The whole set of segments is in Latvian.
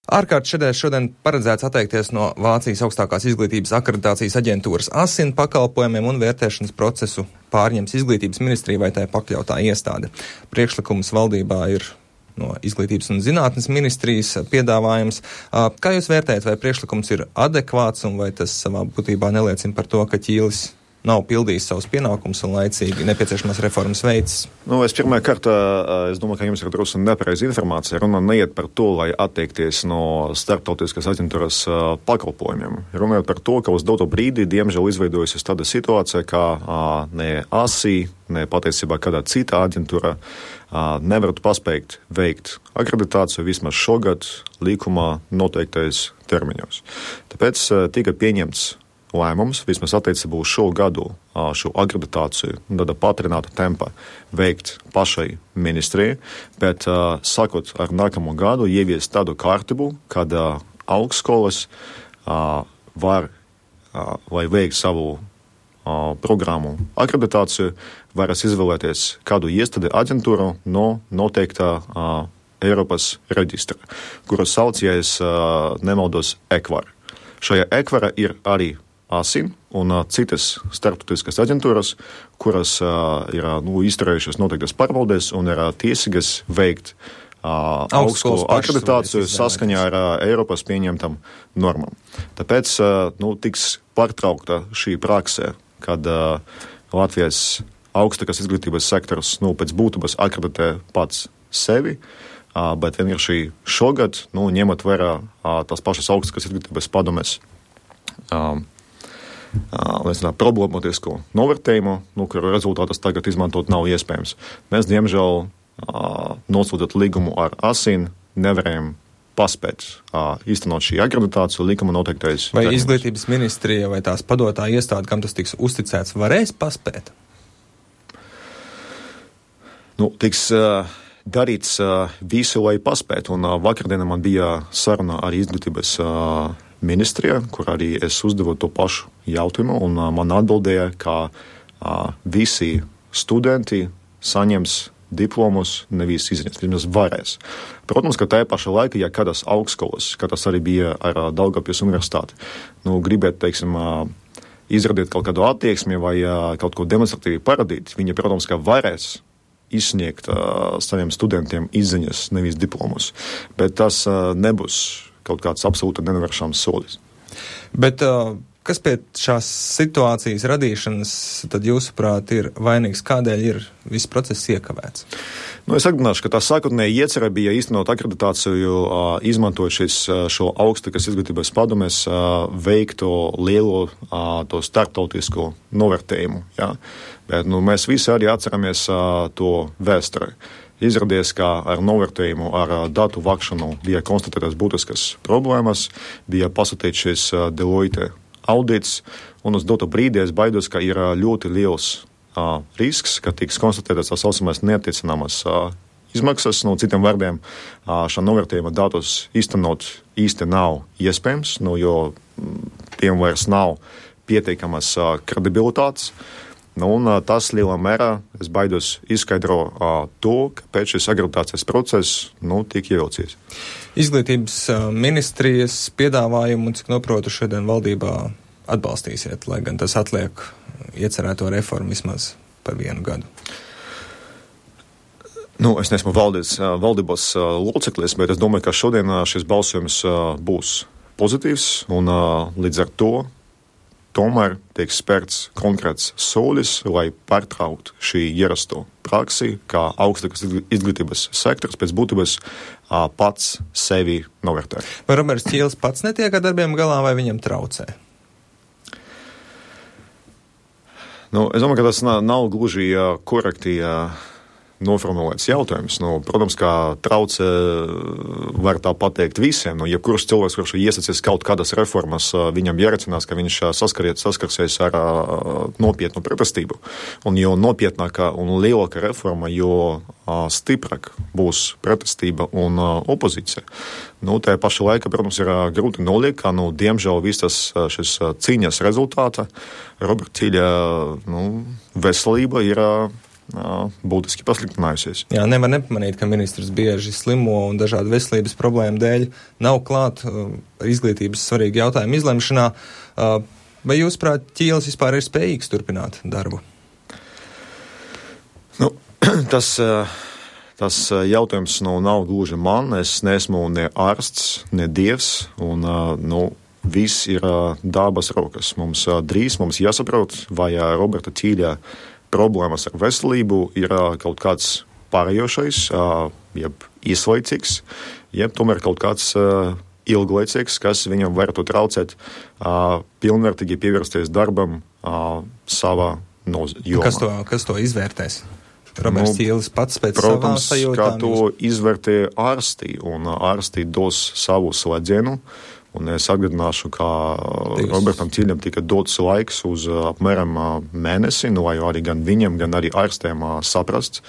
Ārkārtas sēdēs šodien paredzēts atteikties no Vācijas augstākās izglītības akreditācijas aģentūras ASIN pakalpojumiem un vērtēšanas procesu pārņems izglītības ministrija vai tai pakļautā iestāde. Priekšlikums valdībā ir no Izglītības un zinātnes ministrijas piedāvājums. Kā jūs vērtējat, vai priekšlikums ir adekvāts un vai tas savā būtībā neliecina par to, ka Ķīlis nav pildījis savus pienākumus un laicīgi nepieciešamās reformas veids? Es pirmā kārtā, es domāju, ka jums ir drusku nepareiza informācija. Runa neiet par to, lai atteikties no starptautiskas aģentūras pakalpojumiem. Runājot par to, ka uz doto brīdi, diemžēl, izveidojusies tāda situācija, ka ne ASI, ne patiesībā kādā citā aģentūra nevarētu paspēt veikt akreditāciju vismaz šogad likumā noteiktais termiņos. Tāpēc tika pieņemts lēmums, vismaz attiecībā uz šo gadu, šo akreditāciju, tāda patrināta tempa veikt pašai ministrijai, bet sakot ar nākamo gadu, ievies tādu kārtību, kad augstskolas var, lai veikt savu programmu akreditāciju, varas izvēlēties kādu iestādi aģentūru no noteiktā Eiropas reģistra, kuru sauc, ja es nemaldos, ECVAR. Šajā ECVARā ir arī ASIN un citas starptautiskas aģentūras, kuras ir izturējušas noteiktas pārbaudes un ir tiesīgas veikt augstskolu akreditāciju saskaņā ar Eiropas pieņemtam normām. Tāpēc tiks pārtraukta šī praksē, kad Latvijas augstākās izglītības sektors pēc būtības akreditē pats sevi, bet vienkārši šogad, ņemot vērā tās pašas augstākās izglītības padomes problemātisko novērtējumu, kuru rezultātus tagad izmantot nav iespējams. Mēs, diemžēl, nosūtot līgumu ar ASIN, nevarējam paspēt īstenot šī akreditāciju likuma noteiktais. Vai izglītības ministrija vai tās padotā iestāde, kam tas tiks uzticēts, varēs paspēt? Tiks darīts visu, lai paspētu, un vakardienā man bija saruna ar izglītības ministrijā, kur arī es uzdevu to pašu jautājumu, un man atbildēja, ka visi studenti saņems diplomus, nevis izņems, vismaz varēs. Protams, ka tajā pašā laikā, ja kādas augstskolas, kā tas arī bija ar Daugavpils universitāti, gribēt, teiksim, izrādīt kaut kādu attieksmi vai kaut ko demonstratīvi parādīt, viņi, protams, ka varēs izsniegt saviem studentiem izziņas, nevis diplomus. Bet tas nebūs kaut kāds absolūti nenovēršams solis. Bet kas pie šās situācijas radīšanas tad jūsuprāt ir vainīgs? Kādēļ ir viss process iekavēts? Es atgādināšu, ka tā sākotnēji iecerē bija īstenot akreditāciju, izmantojot šo augstākās izglītības padomes veikto lielo to starptautisko novērtējumu. Ja? Bet mēs visi arī atceramies to vēsturē. Izrādījās, ka ar novērtējumu, ar datu vākšanu bija konstatētas būtiskas problēmas, bija pasūtīts šis Deloitte audits, un uz doto brīdi es baidos, ka ir ļoti liels risks, ka tiks konstatētas tā saucamās neattiecināmas izmaksas. Citiem vārdiem, šā novērtējuma datus īstenot īsti nav iespējams, jo tiem vairs nav pietiekamas kredibilitātes. Un tas lielā mērā, es baidos, izskaidro to, kāpēc šis akreditācijas process tiek ievilcies. Izglītības ministrijas piedāvājumu, cik noprotu, šodien valdībā atbalstīsiet, lai gan tas atliek iecerēto reformu vismaz par 1 gadu. Es neesmu valdības loceklis, bet es domāju, ka šodien šis balsojums būs pozitīvs, un līdz ar to tomēr tiek spērts konkrēts solis, lai pārtrauktu šī ierasto praksi, kā augstākās izglītības sektors pēc būtības pats sevi novērtē. Vai Roberts Ķīlis pats netiek ar darbiem galā, vai viņam traucē? Es domāju, ka tas nav gluži korekti noformulēts jautājums. Protams, kā traucē var tā pateikt visiem. Jebkurš cilvēks, kurš iesacies kaut kādas reformas, viņam jārecinās, ka viņš saskarsies ar nopietnu pretestību. Un jo nopietnākā un lielāka reforma, jo stiprāk būs pretestība un opozīcija. Tajā pašā laikā, protams, ir grūti noliekt, ka, diemžēl, viss šis cīņas rezultāta Roberta Ķīļa veselība ir būtiski pasliktinājusies. Jā, nevar nepamanīt, ka ministrs bieži slimo un dažādu veselības problēmu dēļ nav klāt izglītības svarīgi jautājumu izlemšanā. Vai jūs prāt, Ķīlis vispār ir spējīgs turpināt darbu? Nu, tas jautājums nav gluži man. Es neesmu ne ārsts, ne dievs, un viss ir dabas rokas. Mums drīz jāsaprot, vai Roberta Ķīļa problēmas ar veselību ir kaut kāds pārējošais, jeb īslaicīgs, jeb tomēr kaut kāds ilglaicīgs, kas viņam varētu traucēt pilnvērtīgi pievērsties darbam savā jomā. Kas to izvērtēs? Roberts Ķīlis pats pēc savām sajūtām? Protams, kā to izvērtē ārsti, un ārsti dos savu slēdzienu. Un es atgādināšu, ka Robertam Ķīļam tika dots laiks uz apmēram mēnesi, lai arī gan viņam, gan arī ārstiem saprast,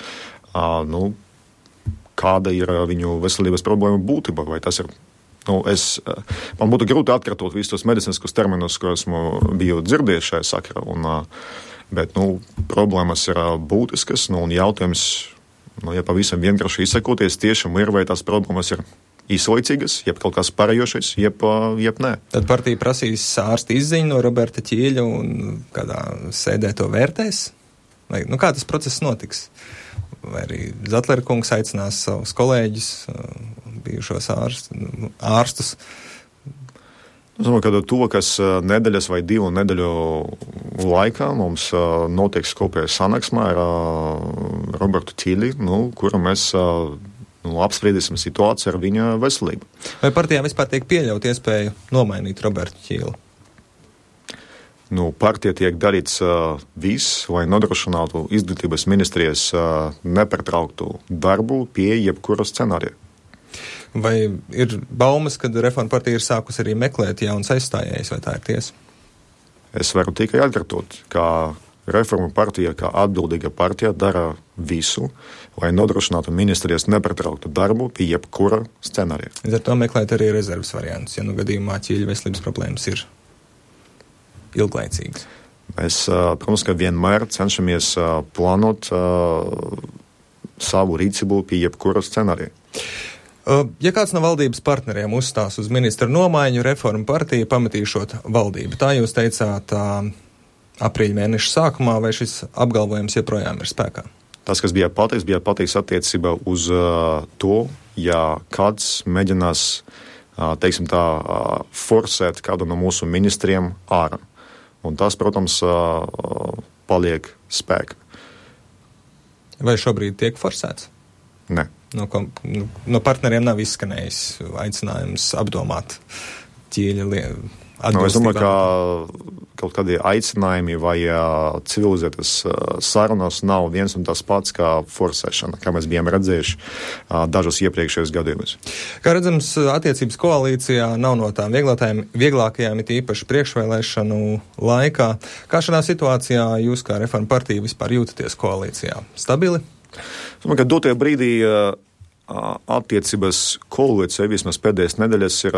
kāda ir viņu veselības problēma būtība, vai tas ir. Man būtu grūti atkārtot visus tos medicīniskus terminus, ko esmu biju dzirdējis šajā sakarā, bet problēmas ir būtiskas, un jautājums, ja pavisam vienkārši izsakoties, tiešām ir, vai tās problēmas ir īslaicīgas, jeb kaut kas pārējošais, jeb nē. Tad partija prasīs ārsta izziņu no Roberta Ķīļa un kādā sēdē to vērtēs? Vai, kā tas process notiks? Vai arī Zatlera kungs aicinās savus kolēģus, bijušos ārstus? Es domāju, ka tuvokas nedēļas vai 2 nedēļu laikā mums notiks kopējā sanāksmē ar Robertu Ķīļi, kura mēs apspriedīsim situāciju ar viņa veselību. Vai partijā vispār tiek pieļaut iespēju nomainīt Robertu Ķīli? Partija tiek darīts viss, lai nodrošinātu izglītības ministrijas nepārtrauktu darbu pie jebkura scenārija. Vai ir baumas, kad Reforma partija ir sākus arī meklēt jauns aizstājējs, vai tā ir tiesa? Es varu tikai atkārtot, ka Reforma partija, kā atbildīga partija, dara visu, lai nodrošinātu ministrijas nepārtrauktu darbu pie jebkura scenārija. Līdz ar to meklēt arī rezerves variantus, ja gadījumā Ķīļa veselības problēmas ir ilglaicīgas. Mēs, protams, ka vienmēr cenšamies plānot savu rīcību pie jebkura scenārija. Ja kāds no valdības partneriem uzstās uz ministra nomaiņu, Reforma partija pametīšot valdību. Tā jūs teicāt aprīļa mēneša sākumā, vai šis apgalvojums joprojām ir spēkā? Tas, kas bija pateiks attiecībā uz to, ja kāds mēģinās, teiksim tā, forsēt kādu no mūsu ministriem ārā. Un tas, protams, paliek spēkā. Vai šobrīd tiek forsēts? Nē. No partneriem nav izskanējis aicinājums apdomāt Ķīļa Es domāju, ka kaut kādi aicinājumi vai civilizētas sarunas nav viens un tas pats kā forsēšana, kā mēs bijām redzējuši dažos iepriekšējos gadījumos. Kā redzams, attiecības koalīcijā nav no tām vieglākajām, it īpaši priekšvēlēšanu laikā. Kā šādā situācijā jūs kā Reforma partija vispār jūtaties koalīcijā? Stabili? Es domāju, ka dotajā brīdī attiecības koalīcija vismaz pēdējās nedēļas ir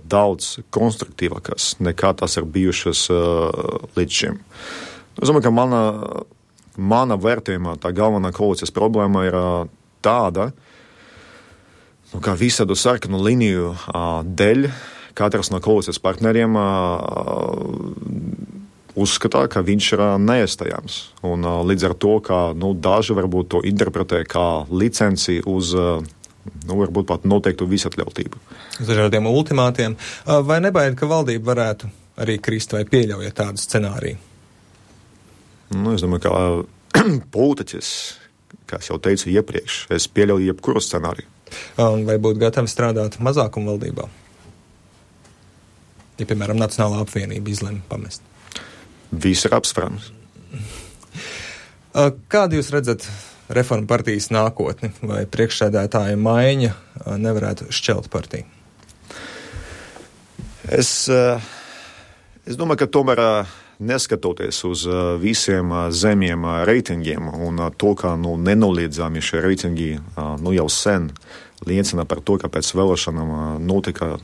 daudz konstruktīvākas nekā tās ir bijušas līdz šim. Es domāju, ka mana vērtējumā tā galvenā koalīcijas problēma ir tāda, ka visādu sarkanu līniju dēļ katrs no koalīcijas partneriem uzskatā, ka viņš ir neiestājams. Un līdz ar to, ka daži varbūt to interpretē kā licenci uz, varbūt pat noteiktu visatļautību. Uz dažādiem ultimātiem. Vai nebaida, ka valdība varētu arī krist vai pieļaujat tādu scenāriju? Es domāju, ka politiķis, kā es jau teicu iepriekš, es pieļauju jebkuru scenāriju. Vai būtu gatavi strādāt mazākumu valdībā? Ja, piemēram, Nacionālā apvienība izlemj pamest. Viss ir apsprāms. Kādu jūs redzat Reforma partijas nākotni, vai priekšsēdētāja maiņa nevarētu šķelt partiju? Es domāju, ka tomēr neskatoties uz visiem zemiem reitingiem un to, ka nenoliedzami šie reitingi jau sen liecina par to, ka pēc vēlēšanām notika,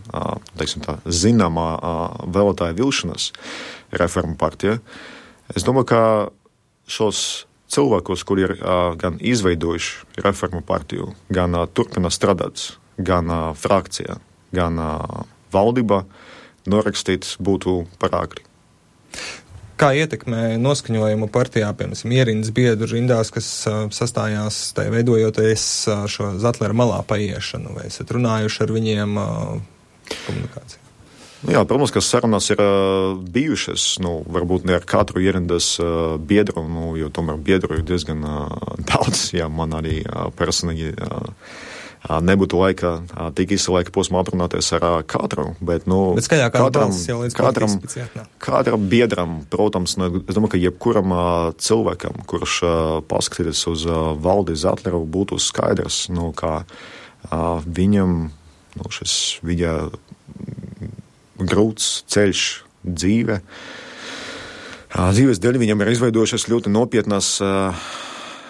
teiksim tā, zināmā vēlētāja vilšanās Reforma partija. Es domāju, ka šos cilvēkus, kuri ir gan izveidojuši reformu partiju, gan turpina strādāt, gan frakcijā, gan valdībā, norakstīt būtu par āgri. Kā ietekmē noskaņojumu partijā, piemēram, ierindas biedru rindās, kas sastājās, tai veidojoties šo Zatlera malā paiešanu, vai esat runājuši ar viņiem komunikāciju? Jā, protams, ka sarunas ir bijušas, varbūt ne ar katru ierindas biedru, jo tomēr biedru ir diezgan daudz, man arī personīgi nebūtu laika tik īsa laika posmā aprunāties ar katru, bet katram biedram, protams, es domāju, ka jebkuram cilvēkam, kurš paskatīties uz Valdi Zatleru, būtu skaidrs, kā viņam šis viņa grūts ceļš dzīves dēļ viņam ir izveidojušas ļoti nopietnas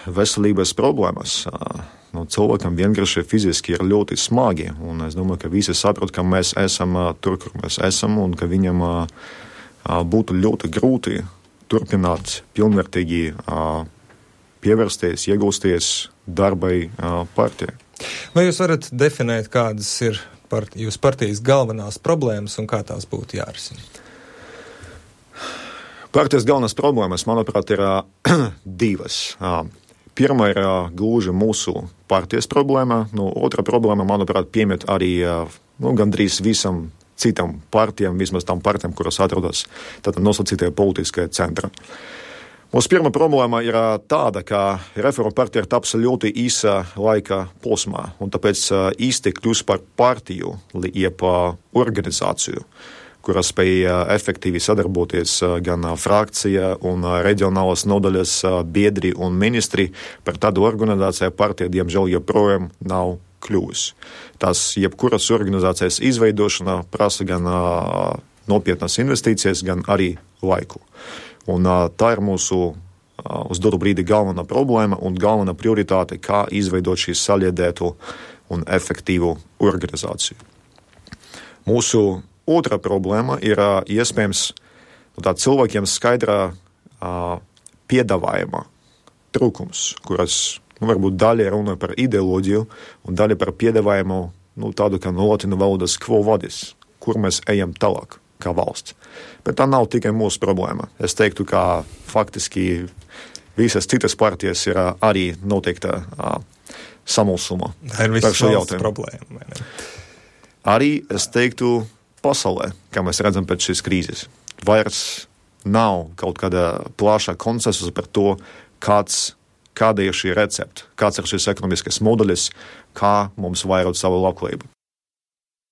veselības problēmas. Cilvēkam vienkārši fiziski ir ļoti smagi, un es domāju, ka visi saprot, ka mēs esam tur, kur mēs esam, un ka viņam būtu ļoti grūti turpināt pilnvērtīgi pievērsties, iegūsties darbai partijai. Vai jūs varat definēt, kādas ir jūsu partijas galvenās problēmas un kā tās būtu jārisina? Partijas galvenās problēmas, manuprāt, ir divas. Pirmā ir gluži mūsu partijas problēma, otra problēma, manuprāt, piemīt arī gandrīz visam citam partijām, vismaz tam partijām, kuras atrodas tātad nosacītajā politiskajā centrā. Mūsu pirmā problēma ir tāda, ka reforma partija ir tapusi ļoti īsa laika posmā, un tāpēc īsti kļūst par partiju, jeb organizāciju, kurā spēja efektīvi sadarboties gan frakcija un reģionālas nodaļas biedri un ministri. Par tādu organizāciju partija, diemžēl, joprojām nav kļuvusi. Tās jebkuras organizācijas izveidošana prasa gan nopietnas investīcijas, gan arī laiku. Un tā ir mūsu uz dotu brīdi galvenā problēma un galvenā prioritāte, kā izveidot šī saliedētu un efektīvu organizāciju. Mūsu otra problēma ir iespējams cilvēkiem skaidrā piedāvājuma trūkums, kuras varbūt daļa runā par ideoloģiju un daļa par piedāvājumu tādu kā latīņu valodas quo vadis, kur mēs ejam tālāk kā valsts. Bet tā nav tikai mūsu problēma. Es teiktu, ka faktiski visas citas partijas ir arī noteikta samulsuma par šo jautājumu. Problēma, arī es teiktu, pasaulē, kā mēs redzam pēc šīs krīzes, vairs nav kaut kāda plašā konsensusa par to, kāda ir šī recepte, kāds ir šis ekonomiskais modelis, kā mums vairot savu labklājību.